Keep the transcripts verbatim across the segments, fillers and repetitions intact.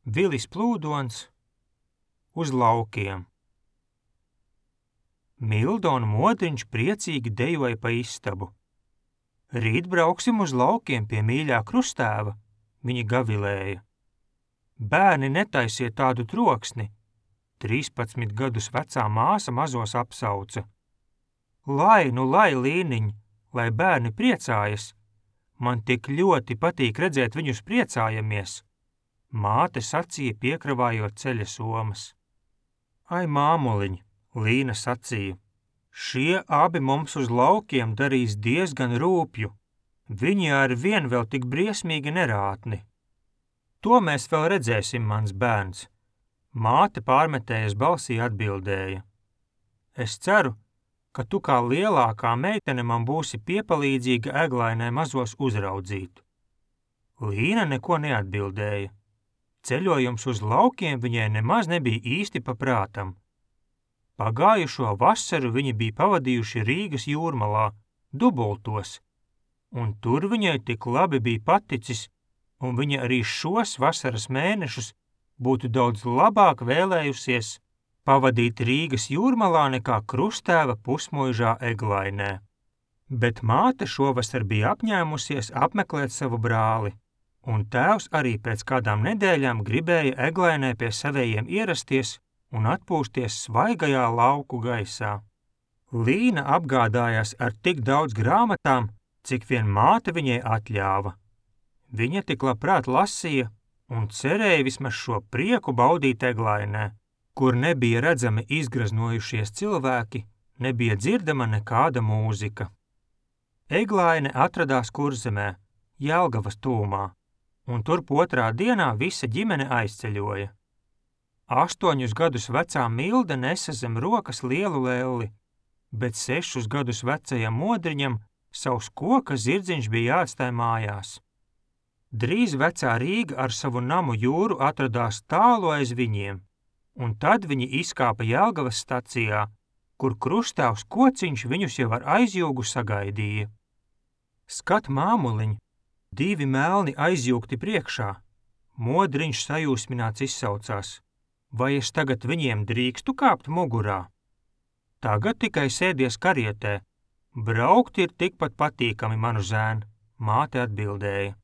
Vilis Plūdons uz laukiem. Milda un Modriņš priecīgi dejoja pa istabu. Rīt brauksim uz laukiem pie mīļā krustēva, viņi gavilēja. Bērni, netaisiet tādu troksni, trīspadsmit gadus vecā māsa mazos apsauca. Lai, nu lai, Līniņ, lai bērni priecājas, man tik ļoti patīk redzēt viņus priecājamies. Māte sacīja, piekravājot ceļa somas. Ai, māmuliņ, Līna sacīja, šie abi mums uz laukiem darīs diezgan rūpju. Viņi ar vien vēl tik briesmīgi nerātni. To mēs vēl redzēsim, mans bērns. Māte pārmetējas balsī atbildēja. Es ceru, ka tu kā lielākā meitene man būsi piepalīdzīga Eglainai mazos uzraudzīt. Līna neko neatbildēja. Ceļojums uz laukiem viņai nemaz nebija īsti pa prātam. Pagājušo vasaru viņi bija pavadījuši Rīgas jūrmalā, dubultos, un tur viņai tik labi bija paticis, un viņa arī šos vasaras mēnešus būtu daudz labāk vēlējusies pavadīt Rīgas jūrmalā nekā krustēva pusmuižā Eglainē. Bet māte šovasar bija apņēmusies apmeklēt savu brāli, un tēvs arī pēc kādām nedēļām gribēja Eglainē pie savējiem ierasties un atpūsties svaigajā lauku gaisā. Līna apgādājās ar tik daudz grāmatām, cik vien māte viņai atļāva. Viņa tik labprāt lasīja un cerēja vismaz šo prieku baudīt Eglainē, kur nebija redzami izgraznojušies cilvēki, nebija dzirdama nekāda mūzika. Eglaine atradās Kurzemē, Jelgavas tūmā, un turp otrā dienā visa ģimene aizceļoja. Astoņus gadus vecā Milda nesa zem rokas lielu lelli, bet sešus gadus vecajam Modriņam savs koka zirdziņš bija jāatstāj mājās. Drīz vecā Rīga ar savu namu jūru atradās tālu aiz viņiem, un tad viņi izkāpa Jelgavas stacijā, kur krustēvs Kociņš viņus jau ar aizjūgu sagaidīja. Skat, māmuliņ, divi melni aizjūgti priekšā. Modriņš sajūsmināts izsaucās. Vai es tagad viņiem drīkstu kāpt mugurā? Tagad tikai sēdies karietē. Braukt ir tikpat patīkami, manu zēn, māte atbildēja.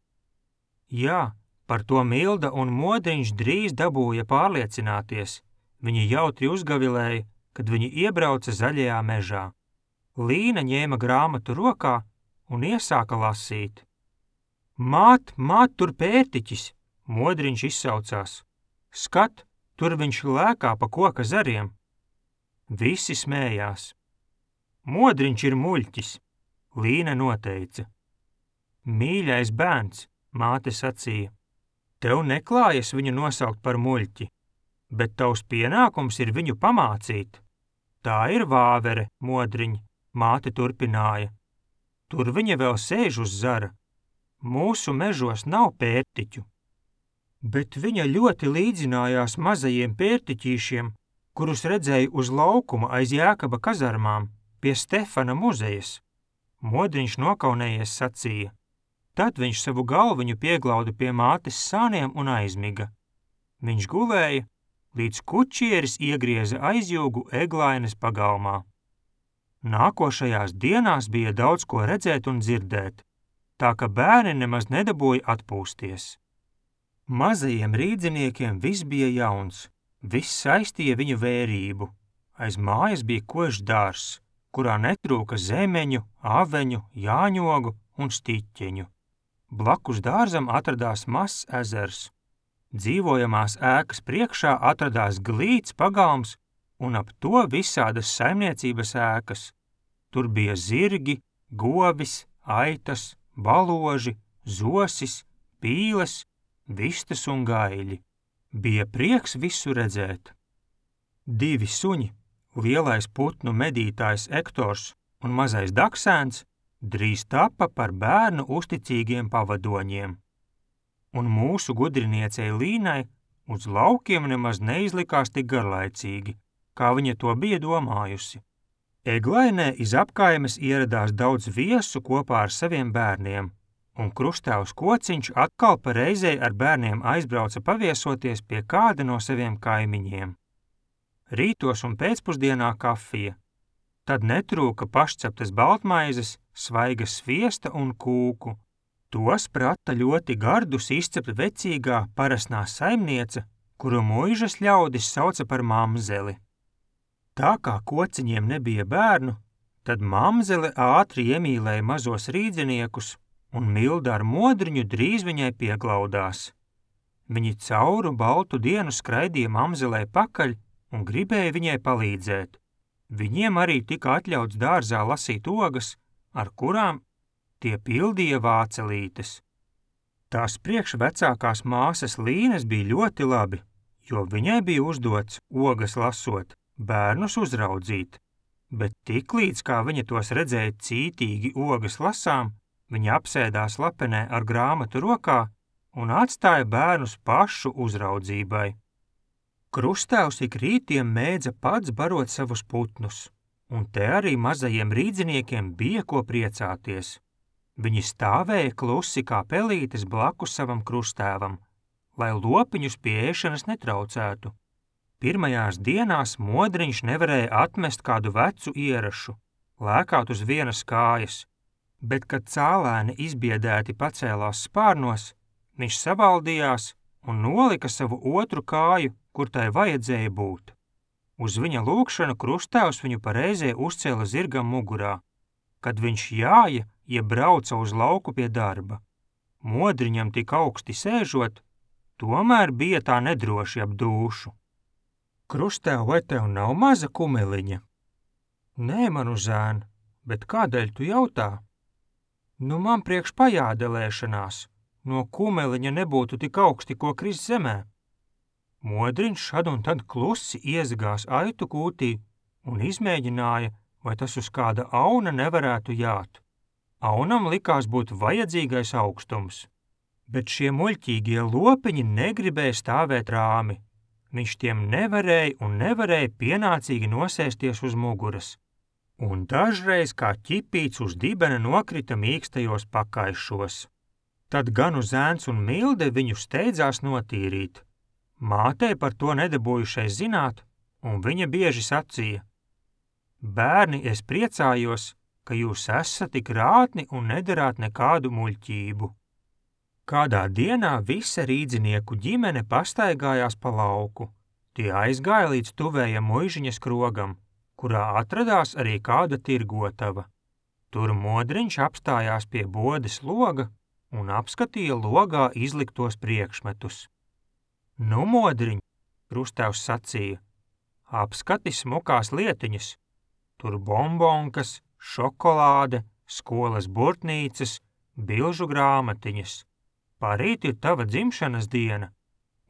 Jā, par to Milda un Modriņš drīz dabūja pārliecināties. Viņi jautri uzgavilēja, kad viņi iebrauca zaļajā mežā. Līna ņēma grāmatu rokā un iesāka lasīt. Māt, māt, tur pērtiķis, Modriņš izsaucās. Skat, tur viņš lēkā pa koka zariem. Visi smējās. Modriņš ir muļķis, Līna noteica. Mīļais bērns, māte sacīja, tev neklājas viņu nosaukt par muļķi, bet tavs pienākums ir viņu pamācīt. Tā ir vāvere, Modriņ, māte turpināja. Tur viņa vēl sēž uz zara. Mūsu mežos nav pērtiķu. Bet viņa ļoti līdzinājās mazajiem pērtiķīšiem, kurus redzēja uz laukuma aiz Jēkaba kazarmām pie Stefana muzejas. Modriņš nokaunējies sacīja. Tad viņš savu galviņu pieglauda pie mātes sāniem un aizmiga. Viņš gulēja, līdz kučieris iegrieza aizjūgu Eglaines pagalmā. Nākošajās dienās bija daudz ko redzēt un dzirdēt, tā ka bērni nemaz nedabūja atpūsties. Mazajiem rīdziniekiem viss bija jauns, viss saistīja viņu vērību. Aiz mājas bija košs dārzs, kurā netrūka zemeņu, aveņu, jāņogu un stiķeņu. Blakus dārzam atradās mazs ezers. Dzīvojamās ēkas priekšā atradās glīts pagalms un ap to visādas saimniecības ēkas. Tur bija zirgi, govis, aitas, baloži, zosis, pīles, vistas un gaiļi. Bija prieks visu redzēt. Divi suņi, lielais putnu medītājs Ektors un mazais daksēns, drīz tapa par bērnu uzticīgiem pavadoņiem. Un mūsu gudriniecei Līnai uz laukiem nemaz neizlikās tik garlaicīgi, kā viņa to bija domājusi. Eglainē iz apkaimes ieradās daudz viesu kopā ar saviem bērniem, un krustāvs Kociņš atkal pa reizei ar bērniem aizbrauca paviesoties pie kāda no saviem kaimiņiem. Rītos un pēcpusdienā kafija, tad netrūka pašceptas baltmaizes, svaiga sviesta un kūku. Tos prata ļoti gardus izcept vecīgā parasnā saimniece, kuru muižas ļaudis sauca par mamzeli. Tā kā Kociņiem nebija bērnu, tad mamzele ātri iemīlēja mazos rīdziniekus, un Milda ar Modriņu drīz viņai pieglaudās. Viņi cauru baltu dienu skraidīja mamzelei pakaļ un gribēja viņai palīdzēt. Viņiem arī tika atļauts dārzā lasīt ogas, ar kurām tie pildīja vācelītes. Tās priekš vecākās māsas Līnes bija ļoti labi, jo viņai bija uzdots, ogas lasot, bērnus uzraudzīt, bet tiklīdz kā viņa tos redzēja cītīgi ogas lasām, viņa apsēdās lapenē ar grāmatu rokā un atstāja bērnus pašu uzraudzībai. Krustāvs ik rītiem mēdza pats barot savus putnus, un te arī mazajiem rīdziniekiem bija ko priecāties. Viņi stāvēja klusi kā pelītes blakus savam krustēvam, lai lopiņus pie ēšanas netraucētu. Pirmajās dienās Modriņš nevarēja atmest kādu vecu ierašu, lēkāt uz vienas kājas, bet, kad cālēni izbiedēti pacēlās spārnos, viņš savaldījās un nolika savu otru kāju, kur tai vajadzēja būt. Uz viņa lūgšanu krustāvs viņu pareizē uzcēla zirgam mugurā, kad viņš jāja, ja brauca uz lauku pie darba. Modriņam tik augsti sēžot, tomēr bija tā nedroši ap dūšu. Krustāv, vai tev nav maza kumeliņa? Nē, manu zēn, bet kādēļ tu jautā? Nu, man priekš pajādelēšanās, no kumeliņa nebūtu tik augsti, ko krist zemē. Modriņš šad un tad klusi iezagās aitu kūtī un izmēģināja, vai tas uz kāda auna nevarētu jāt. Aunam likās būt vajadzīgais augstums, bet šie muļķīgie lopiņi negribēja stāvēt rāmi. Viņš tiem nevarēja un nevarēja pienācīgi nosēsties uz muguras, un dažreiz kā ķipīts uz dibena nokrita mīkstajos pakaišos. Tad ganu zēns un Milde viņu steidzās notīrīt. Mātei par to nedabūjušais zināt, un viņa bieži sacīja: Bērni, es priecājos, ka jūs esat tik rātni un nedarāt nekādu muļķību. Kādā dienā visa rīdzinieku ģimene pastaigājās pa lauku. Tie aizgāja līdz tuvējam muižiņas krogam, kurā atradās arī kāda tirgotava. Tur Modriņš apstājās pie bodes loga un apskatīja logā izliktos priekšmetus. Nu, Modriņ, krustāvs sacīja, apskati smukās lietiņas. Tur bombonkas, šokolāde, skolas burtnīcas, bilžu grāmatiņas. Parīt ir tava dzimšanas diena.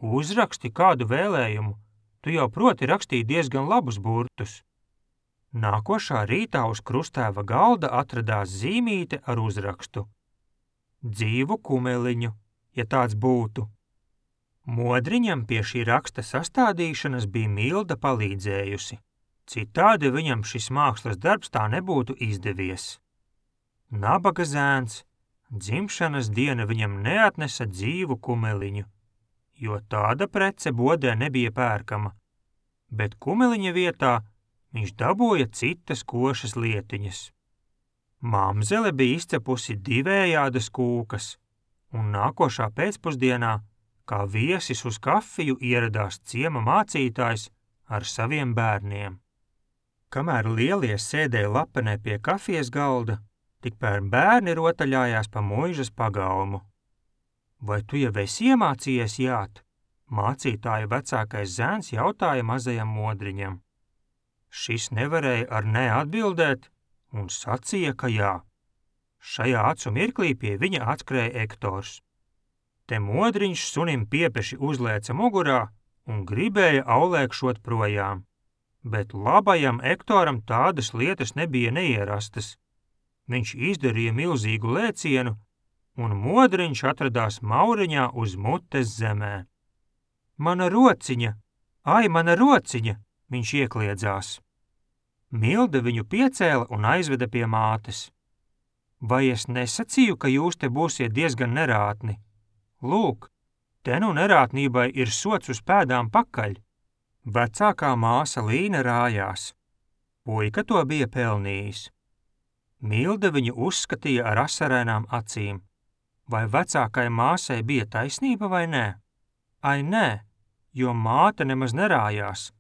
Uzraksti kādu vēlējumu, tu jau proti rakstīt diezgan labus burtus. Nākošā rītā uz krustēva galda atradās zīmīte ar uzrakstu: Dzīvu kumeliņu, ja tāds būtu. Modriņam pie šī raksta sastādīšanas bija Milda palīdzējusi. Citādi viņam šis mākslas darbs tā nebūtu izdevies. Nabaga zēns, dzimšanas diena viņam neatnesa dzīvu kumeliņu, jo tāda prece bodē nebija pērkama, bet kumeliņa vietā viņš dabūja citas košas lietiņas. Mamzele bija izcepusi divējādas kūkas, un nākošā pēcpusdienā, kā viesis uz kafiju, ieradās ciema mācītājs ar saviem bērniem. Kamēr lielie sēdēja lapenē pie kafijas galda, tikpēr bērni rotaļājās pa muižas pagalmu. Vai tu jau esi iemācījies jāt? Mācītāja vecākais zēns jautāja mazajam Modriņam. Šis nevarēja ar ne atbildēt un sacīja, ka jā. Šajā acu mirklī pie viņa atskrēja Ektors. Te Modriņš sunim piepeši uzlēca mugurā un gribēja aulēkšot projām, bet labajam Ektoram tādas lietas nebija neierastas. Viņš izdarīja milzīgu lēcienu, un Modriņš atradās Mauriņā uz mutes zemē. Mana rociņa! Ai, mana rociņa! Viņš iekliedzās. Milde viņu piecēla un aizveda pie mātes. Vai es nesacīju, ka jūs te būsiet diezgan nerātni? Lūk, te nu nerātnībai ir sots uz pēdām pakaļ. Vecākā māsa Līna rājās. Puika to bija pelnījis. Milda viņu uzskatīja ar asarēnām acīm. Vai vecākai māsai bija taisnība vai nē? Ai nē, jo māte nemaz nerājās.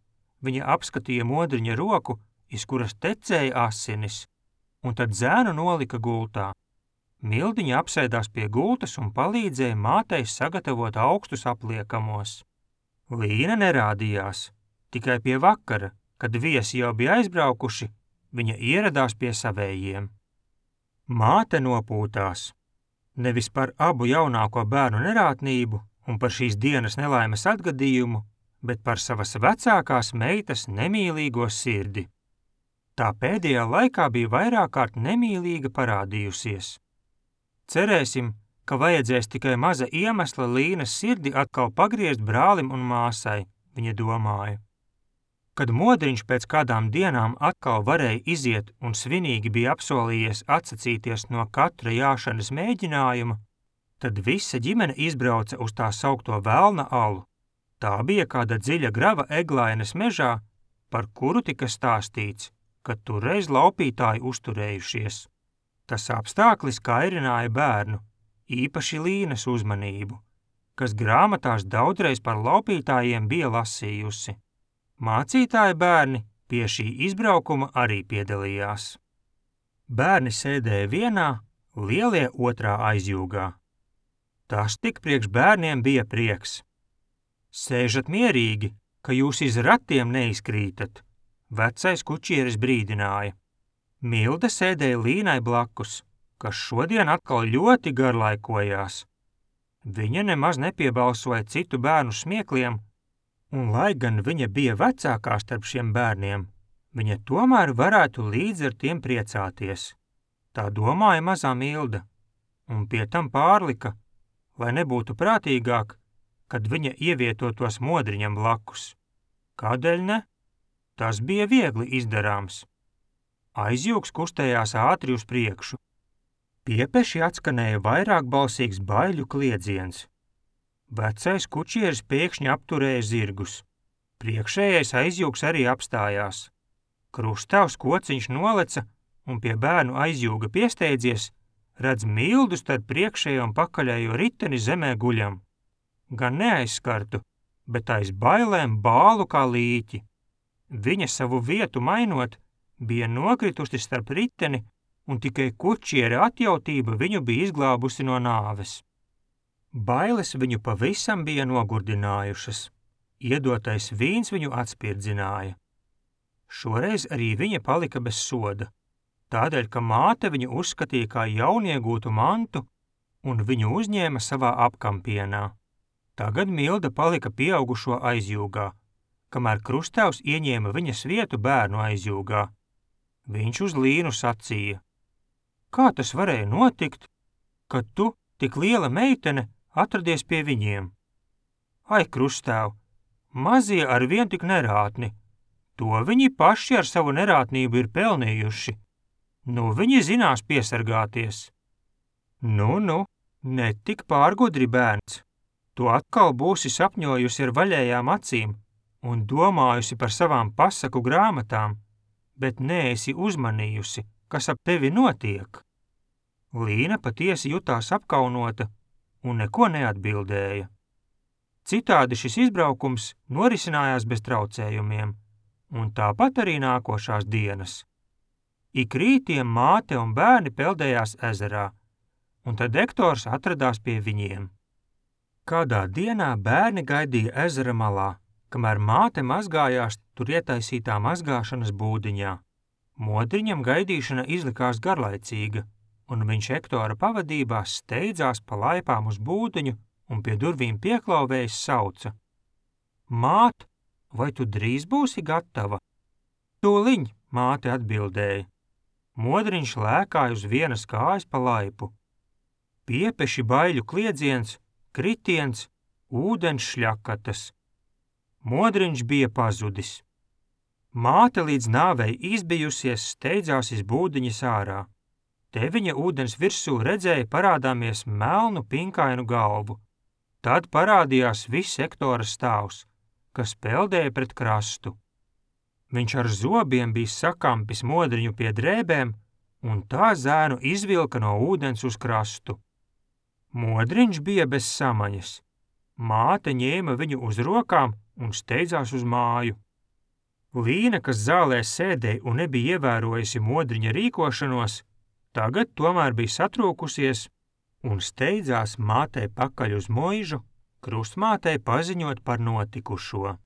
Viņa apskatīja Modriņa roku, iz kuras tecēja asinis, un tad zēnu nolika gultā. Mildiņa apsēdās pie gultas un palīdzēja mātei sagatavot augstus apliekamos. Līna nerādījās, tikai pie vakara, kad viesi jau bija aizbraukuši, viņa ieradās pie savējiem. Māte nopūtās. Nevis par abu jaunāko bērnu nerātnību un par šīs dienas nelaimes atgadījumu, bet par savas vecākās meitas nemīlīgo sirdi. Tā pēdējā laikā bija vairāk kārt nemīlīga parādījusies. Cerēsim, ka vajadzēs tikai maza iemesla Līnas sirdi atkal pagriezt brālim un māsai, viņa domāja. Kad Modriņš pēc kādām dienām atkal varēja iziet un svinīgi bija apsolījies atsacīties no katra jāšanas mēģinājuma, tad visa ģimene izbrauca uz tā saukto Velna alu. Tā bija kāda dziļa grava Eglainas mežā, par kuru tika stāstīts, ka turreiz laupītāji uzturējušies. Tas apstāklis kairināja bērnu, īpaši Līnas uzmanību, kas grāmatās daudzreiz par laupītājiem bija lasījusi. Mācītāji bērni pie šī izbraukuma arī piedalījās. Bērni sēdēja vienā, lielie otrā aizjūgā. Tas tik priekš bērniem bija prieks. Sēžat mierīgi, ka jūs iz ratiem neizkrītat, vecais kučieris brīdināja. Milda sēdēja Līnai blakus, kas šodien atkal ļoti garlaikojās. Viņa nemaz nepiebalsoja citu bērnu smiekliem, un lai gan viņa bija vecākā starp šiem bērniem, viņa tomēr varētu līdz ar tiem priecāties. Tā domāja mazā Milda, un pie tam pārlika, lai nebūtu prātīgāk, kad viņa ievietotos Modriņam blakus. Kādēļ ne? Tas bija viegli izdarāms. Aizjūgs kustējās ātri uz priekšu. Piepeši atskanēja vairāk balsīgs baiļu kliedziens. Vecais kučieris pēkšņi apturēja zirgus. Priekšējais aizjūgs arī apstājās. Krustavs kociņš noleca un pie bērnu aizjūga piesteidzies, redz Mildu starp priekšējo un pakaļējo riteni zemē guļam. Gan neaizskartu, bet aiz bailēm bālu kā līķi. Viņa savu vietu mainot, bija nokritusi starp riteni, un tikai kučiera atjautība viņu bija izglābusi no nāves. Bailes viņu pavisam bija nogurdinājušas. Iedotais vīns viņu atspirdzināja. Šoreiz arī viņa palika bez soda, tādēļ, ka māte viņu uzskatīja kā jauniegūtu mantu un viņu uzņēma savā apkampienā. Tagad Milda palika pieaugušo aizjūgā, kamēr Krustevs ieņēma viņas vietu bērnu aizjūgā. Viņš uz Līnu sacīja: Kā tas varēja notikt, kad tu, tik liela meitene, atradies pie viņiem? Ai, Krustev, mazie ar vien tik nerātni, to viņi paši ar savu nerātnību ir pelnījuši. Nu, viņi zinās piesargāties. Nu, nu, ne tik pārgudri bērns. Tu atkal būsi sapņojusi ar vaļējām acīm un domājusi par savām pasaku grāmatām, bet neesi uzmanījusi, kas ap tevi notiek. Līna patiesi jutās apkaunota un neko neatbildēja. Citādi šis izbraukums norisinājās bez traucējumiem, un tāpat arī nākošās dienas. Ik rītiem māte un bērni peldējās ezerā, un tad Ektors atradās pie viņiem. Kādā dienā bērni gaidīja ezera malā, kamēr māte mazgājās tur ietaisītā mazgāšanas būdiņā. Modriņam gaidīšana izlikās garlaicīga, un viņš Ektora pavadībā steidzās pa laipām uz būdiņu un pie durvīm pieklauvējis sauca: Māt, vai tu drīz būsi gatava? Tūliņ, māte atbildēja. Modriņš lēkāja uz vienas kājas pa laipu. Piepeši baiļu kliedziens, kritiens, ūdens šļakatas. Modriņš bija pazudis. Māte līdz nāvei izbijusies steidzās iz būdiņas ārā. Te viņa ūdens virsū redzēja parādāmies melnu pinkainu galvu. Tad parādījās viss Ektora stāvs, kas peldēja pret krastu. Viņš ar zobiem bija sakampis modriņu pie drēbēm, un tā zēnu izvilka no ūdens uz krastu. Modriņš bija bez samaņas. Māte ņēma viņu uz rokām un steidzās uz māju. Līna, kas zālē sēdēja un nebija ievērojusi modriņa rīkošanos, tagad tomēr bija satrūkusies un steidzās mātei pakaļ uz Moižu, krustmātei paziņot par notikušo.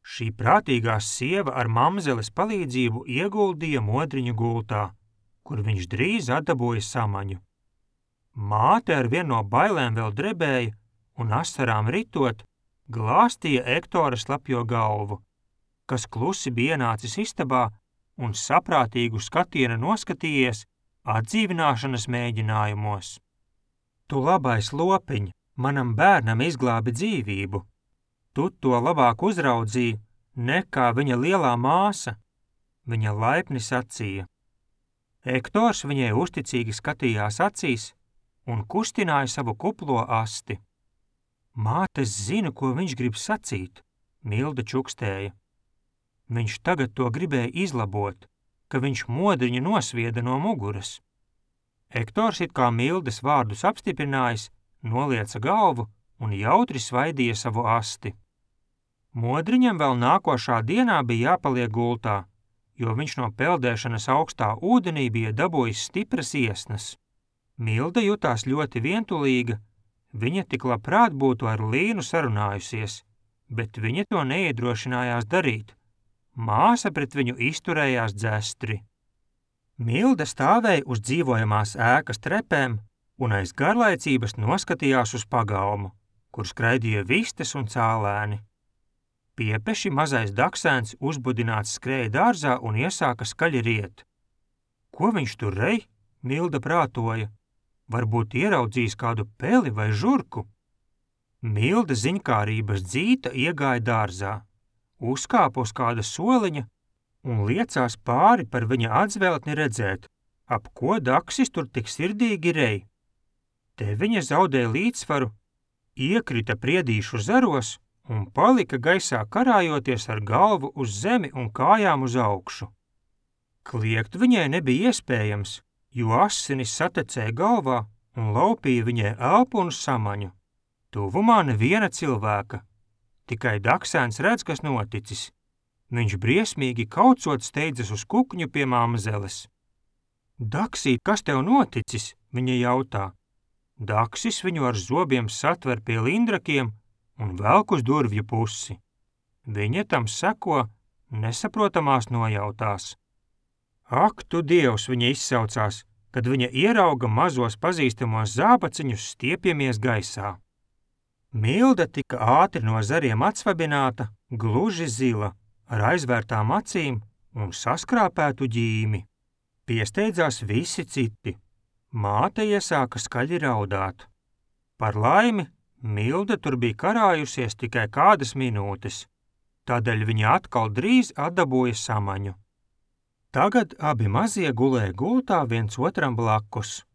Šī prātīgā sieva ar mamzeles palīdzību ieguldīja modriņu gultā, kur viņš drīz atdabūja samaņu. Māte ar vienu no bailēm vēl drebēja un asarām ritot, glāstīja Ektora slapjo galvu, kas klusi bija ienācis istabā un saprātīgu skatienu noskatījies atdzīvināšanas mēģinājumos. Tu labais lopiņ, manam bērnam izglābi dzīvību. Tu to labāk uzraudzīji nekā viņa lielā māsa, viņa laipni sacīja. Ektors viņai uzticīgi skatījās acīs un kustināja savu kuplo asti. Mātes zina, ko viņš grib sacīt, Milda čukstēja. Viņš tagad to gribēja izlabot, ka viņš modriņu nosvieda no muguras. Ektors it kā Mildes vārdus apstiprinājis, nolieca galvu un jautri svaidīja savu asti. Modriņam vēl nākošā dienā bija jāpaliek gultā, jo viņš no peldēšanas augstā ūdenī bija dabūjis stipras iesnas. Milda jutās ļoti vientulīga, viņa tik labprāt būtu ar Līnu sarunājusies, bet viņa to neiedrošinājās darīt. Māsa pret viņu izturējās dzestri. Milda stāvēja uz dzīvojamās ēkas trepēm un aiz garlaicības noskatījās uz pagalmu, kur skraidīja vistes un cālēni. Piepeši mazais daksēns uzbudināts skrēja dārzā un iesāka skaļi riet. Ko viņš tur rej? Milda prātoja. Varbūt ieraudzījis kādu peli vai žurku. Milda ziņkārības dzīta iegāja dārzā, uzkāpa uz kāda soliņa un liecās pāri par viņa atzveltni redzēt, ap ko daksis tur tik sirdīgi rej. Te viņa zaudēja līdzsvaru, iekrita priedīšu zaros un palika gaisā karājoties ar galvu uz zemi un kājām uz augšu. Kliegt viņai nebija iespējams, jo asinis satecēja galvā un laupīja viņai elpu un samaņu. Tuvumā neviena cilvēka, tikai daksēns redz, kas noticis. Viņš briesmīgi kaucot steidzas uz kukņu pie mamzeles. Daksīt, kas tev noticis? Viņa jautā. Daksis viņu ar zobiem satver pie lindrakiem un velk uz durvju pusi. Viņa tam seko, nesaprotamās nojautās. Ak, tu Dievs, viņa izsaucās, kad viņa ierauga mazos pazīstamos zābaciņus stiepjamies gaisā. Milda tika ātri no zariem atsvabināta, gluži zila, ar aizvērtām acīm un saskrāpētu ģīmi. Piesteidzās visi citi. Māte iesāka skaļi raudāt. Par laimi, Milda tur bija karājusies tikai kādas minūtes, tādēļ viņa atkal drīz atdabūja samaņu. Tagad abi mazie gulēja gultā viens otram blakus,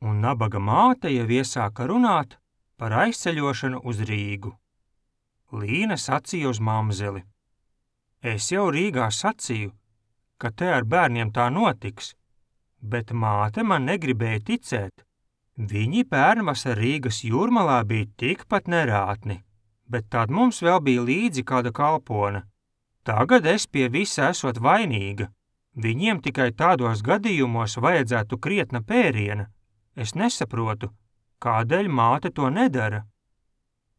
un nabaga māte jau iesāka runāt par aizceļošanu uz Rīgu. Līna sacīja uz mamzeli. Es jau Rīgā sacīju, ka te ar bērniem tā notiks, bet māte man negribēja ticēt. Viņi pērnvasar Rīgas jūrmalā bija tikpat nerātni, bet tad mums vēl bija līdzi kāda kalpone. Tagad es pie visa esot vainīga. Viņiem tikai tādos gadījumos vajadzētu krietna pēriena. Es nesaprotu, kādēļ māte to nedara.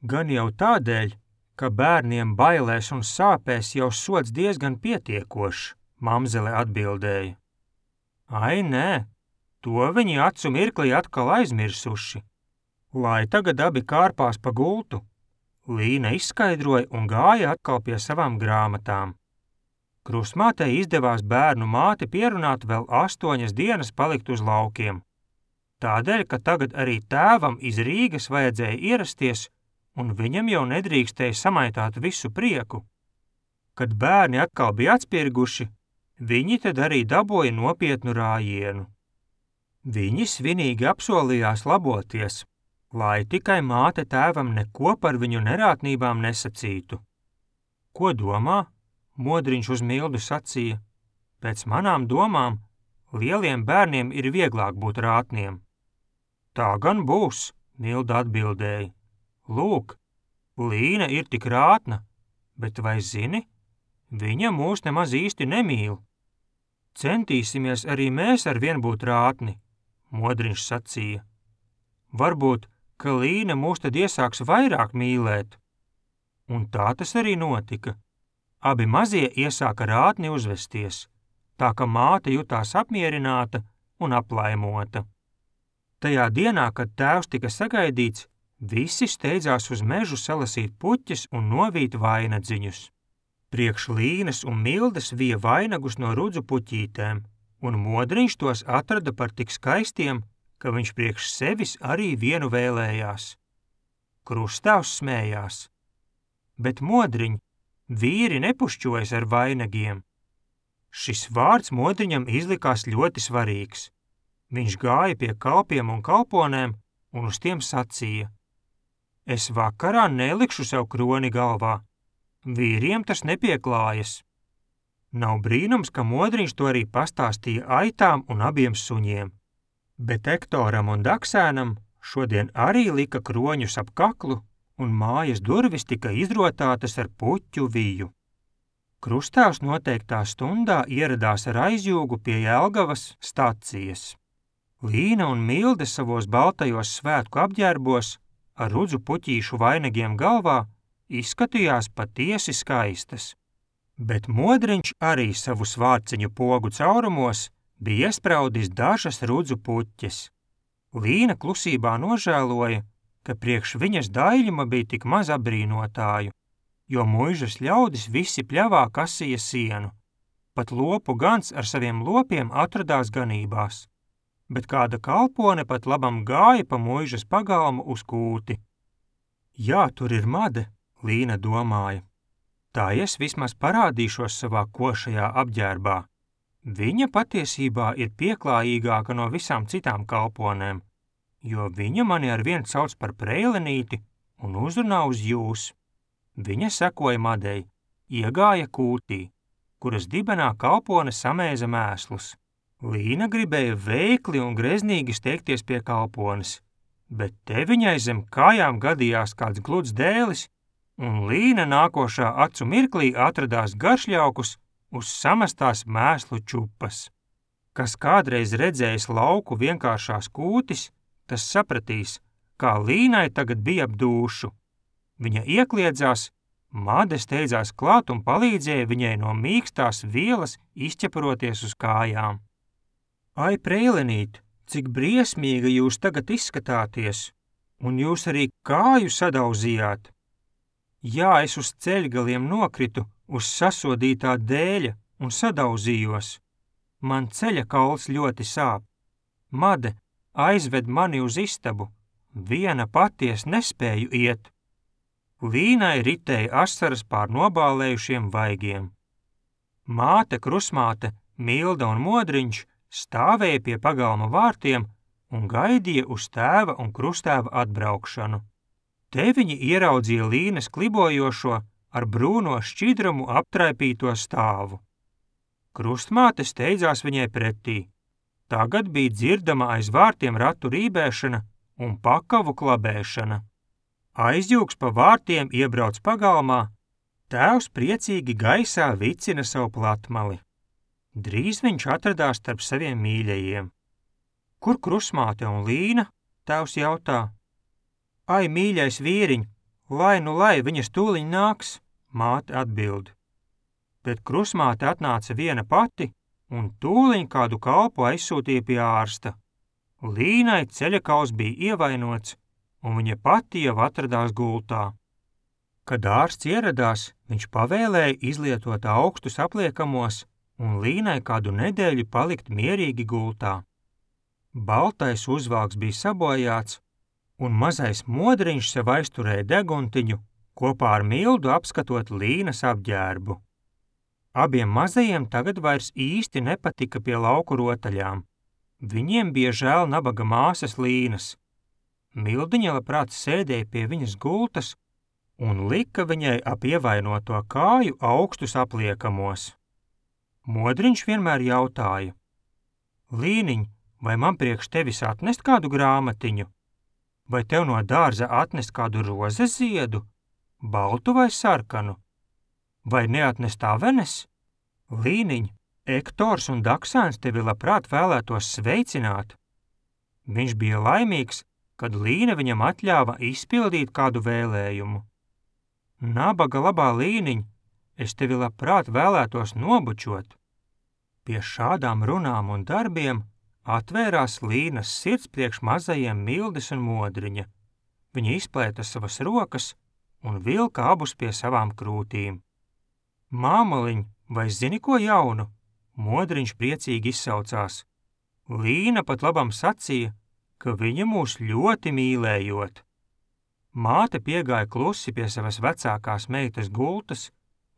Gan jau tādēļ, ka bērniem bailēs un sāpēs jau sods diezgan pietiekošs, mamzele atbildēja. Ai, nē, to viņi acu mirklī atkal aizmirsuši. Lai tagad abi kārpās pa gultu. Līna izskaidroja un gāja atkal pie savām grāmatām. Krustmātei izdevās bērnu māti pierunāt vēl astoņas dienas palikt uz laukiem. Tādēļ, ka tagad arī tēvam iz Rīgas vajadzēja ierasties, un viņam jau nedrīkstēja samaitāt visu prieku. Kad bērni atkal bija atspirguši, viņi tad arī dabūja nopietnu rājienu. Viņi svinīgi apsolījās laboties, lai tikai māte tēvam neko par viņu nerātnībām nesacītu. Ko domā? Modriņš uz Mildu sacīja. Pēc manām domām, lieliem bērniem ir vieglāk būt rātniem. Tā gan būs, Milda atbildēja. Lūk, Līna ir tik rātna, bet vai zini, viņa mūs nemaz īsti nemīl. Centīsimies arī mēs ar vien būt rātni, Modriņš sacīja. Varbūt, ka Līna mūs tad iesāks vairāk mīlēt. Un tā tas arī notika. Abi mazie iesāka rātni uzvesties, tā ka māte jutās apmierināta un aplaimota. Tajā dienā, kad tēvs tika sagaidīts, visi steidzās uz mežu salasīt puķes un novīt vainadziņus. Priekš Līnas un Mildes vija vainagus no rudzu puķītēm, un Modriņš tos atrada par tik skaistiem, ka viņš priekš sevis arī vienu vēlējās. Krustāvs smējās. Bet Modriņ, vīri nepušķojas ar vainagiem. Šis vārds Modriņam izlikās ļoti svarīgs. Viņš gāja pie kalpiem un kalponēm un uz tiem sacīja. Es vakarā nelikšu sev kroni galvā. Vīriem tas nepieklājas. Nav brīnums, ka Modriņš to arī pastāstīja aitām un abiem suņiem. Bet Ektoram un Daksēnam šodien arī lika kroņus ap kaklu un mājas durvis tika izrotātas ar puķu viju. Krustāvs noteiktā stundā ieradās ar aizjūgu pie Jelgavas stacijas. Līna un Milde savos baltajos svētku apģērbos ar rudzu puķīšu vainagiem galvā izskatījās patiesi skaistas. Bet Modriņš arī savu svārciņu pogu caurumos bija iespraudis dažas rudzu puķes. Līna klusībā nožēloja, ka priekš viņas daļuma bija tik maz apbrīnotāju, jo muižas ļaudis visi pļavā kasīja sienu. Pat lopu gans ar saviem lopiem atradās ganībās. Bet kāda kalpone pat labam gāja pa muižas pagalmu uz kūti. Jā, tur ir made, Līna domāja. Tā es vismaz parādīšos savā košajā apģērbā. Viņa patiesībā ir pieklājīgāka no visām citām kalponēm, jo viņa mani ar vien sauc par Preilenīti un uzrunā uz jūs. Viņa sekoja madei, iegāja kūtī, kuras dibenā kalpone samēza mēslus. Līna gribēja veikli un greznīgi steigties pie kalpones, bet te viņai zem kājām gadījās kāds gluds dēlis, un Līna nākošā acu mirklī atradās garšļaukus uz samestās mēslu čupas. Kas kādreiz redzējis lauku vienkāršās kūtis, tas sapratīs, kā Līnai tagad bija ap dūšu. Viņa iekliedzās, made steidzās klāt un palīdzēja viņai no mīkstās vielas izķeparoties uz kājām. Ai, Preilenīt, cik briesmīgi jūs tagad izskatāties, un jūs arī kāju sadauzījāt. Jā, es uz ceļgaliem nokritu uz sasodītā dēļa un sadauzījos. Man ceļa kauls ļoti sāp. Made, aizved mani uz istabu, viena pati es nespēju iet. Līnai ritēja asaras pār nobālējušiem vaigiem. Māte, krusmāte, Milda un Modriņš stāvēja pie pagalma vārtiem un gaidīja uz tēva un krustēva atbraukšanu. Te viņi ieraudzīja Līnas klibojošo ar brūno šķidrumu aptraipīto stāvu. Krustmāte steidzās viņai pretī. Tagad bija dzirdama aiz vārtiem ratu rībēšana un pakavu klabēšana. Aizjūgs pa vārtiem iebrauc pagalmā, tēvs priecīgi gaisā vicina savu platmali. Drīz viņš atradās starp saviem mīļajiem. Kur krusmāte un Līna? Tēvs jautā. Ai, mīļais vīriņ, lai nu lai viņas tūliņ nāks, māte atbild. Bet krusmāte atnāca viena pati un tūliņ kādu kalpu aizsūtīja pie ārsta. Līnai ceļakauls bija ievainots un viņa pati jau atradās gultā. Kad ārsts ieradās, viņš pavēlēja izlietot augstus apliekamos un Līnai kādu nedēļu palikt mierīgi gultā. Baltais uzvalks bija sabojāts, un mazais Modriņš sev aizturēja deguntiņu, kopā ar Mildu apskatot Līnas apģērbu. Abiem mazajiem tagad vairs īsti nepatika pie lauku rotaļām. Viņiem bija žēl nabaga māsas Līnas. Mildiņa labprāt sēdēja pie viņas gultas un lika viņai ap ievainoto kāju augstus apliekamos. Modriņš vienmēr jautāja: Līniņ, vai man priekš tevis atnest kādu grāmatiņu? Vai tev no dārza atnest kādu rozes ziedu, baltu vai sarkanu? Vai neatnest avenes? Līniņ, Ektors un Daksēns tevi labprāt vēlētos sveicināt. Viņš bija laimīgs, kad Līna viņam atļāva izpildīt kādu vēlējumu. Nabaga labā Līniņ, es tevi labprāt vēlētos nobučot. Pie šādām runām un darbiem atvērās Līnas sirds priekš mazajiem Mildes un Modriņa. Viņa izplēta savas rokas un vilka abus pie savām krūtīm. Māmaliņ, vai zini ko jaunu? Modriņš priecīgi izsaucās. Līna pat labam sacīja, ka viņa mūs ļoti mīlējot. Māte piegāja klusi pie savas vecākās meitas gultas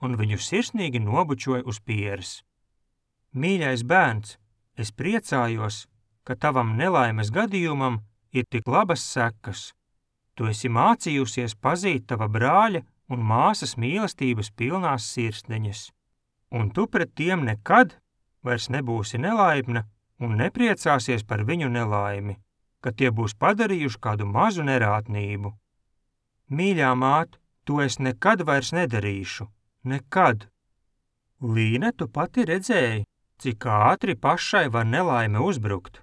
un viņu sirsnīgi nobučoja uz pieres. Mīļais bērns, es priecājos, ka tavam nelaimes gadījumam ir tik labas sekas. Tu esi mācījusies pazīt tava brāļa un māsas mīlestības pilnās sirsniņas, un tu pret tiem nekad vairs nebūsi nelaipna un nepriecāsies par viņu nelaimi, kad tie būs padarījuši kādu mazu nerātnību. Mīļā māt, to es nekad vairs nedarīšu, nekad. Līne, tu pati redzēji, cik ātri pašai var nelaime uzbrukt.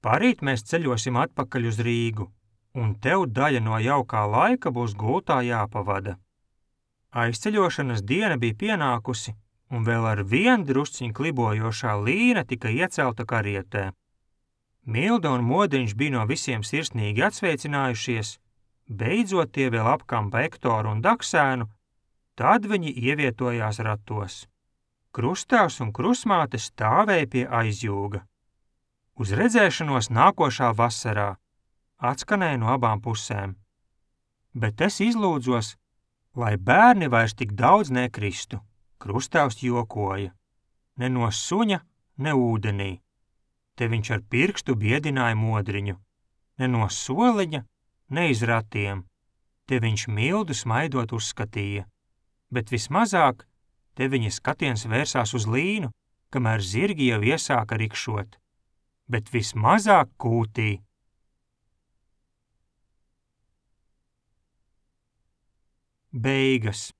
Parīt mēs ceļosim atpakaļ uz Rīgu, un tev daļa no jaukā laika būs gultā jāpavada. Aizceļošanas diena bija pienākusi, un vēl ar vien drusciņ klibojošā Līna tika iecelta karietē. Milda un Modriņš bija no visiem sirsnīgi atsveicinājušies, beidzot tie vēl apkampa Ektoru un Daksēnu, tad viņi ievietojās ratos. Krustāvs un krusmāte stāvēja pie aizjūga. Uz redzēšanos nākošā vasarā atskanēja no abām pusēm. Bet es izlūdzos, lai bērni vairs tik daudz nekristu. Krustāvs jokoja. Ne no suņa, ne ūdenī. Te viņš ar pirkstu biedināja Modriņu. Ne no soliņa, ne iz ratiem. Te viņš Mildu smaidot uzskatīja. Bet vismazāk te viņa skatiens vērsās uz Līnu, kamēr zirgi jau iesāka rikšot. Bet vismazāk kūtī. Beigas.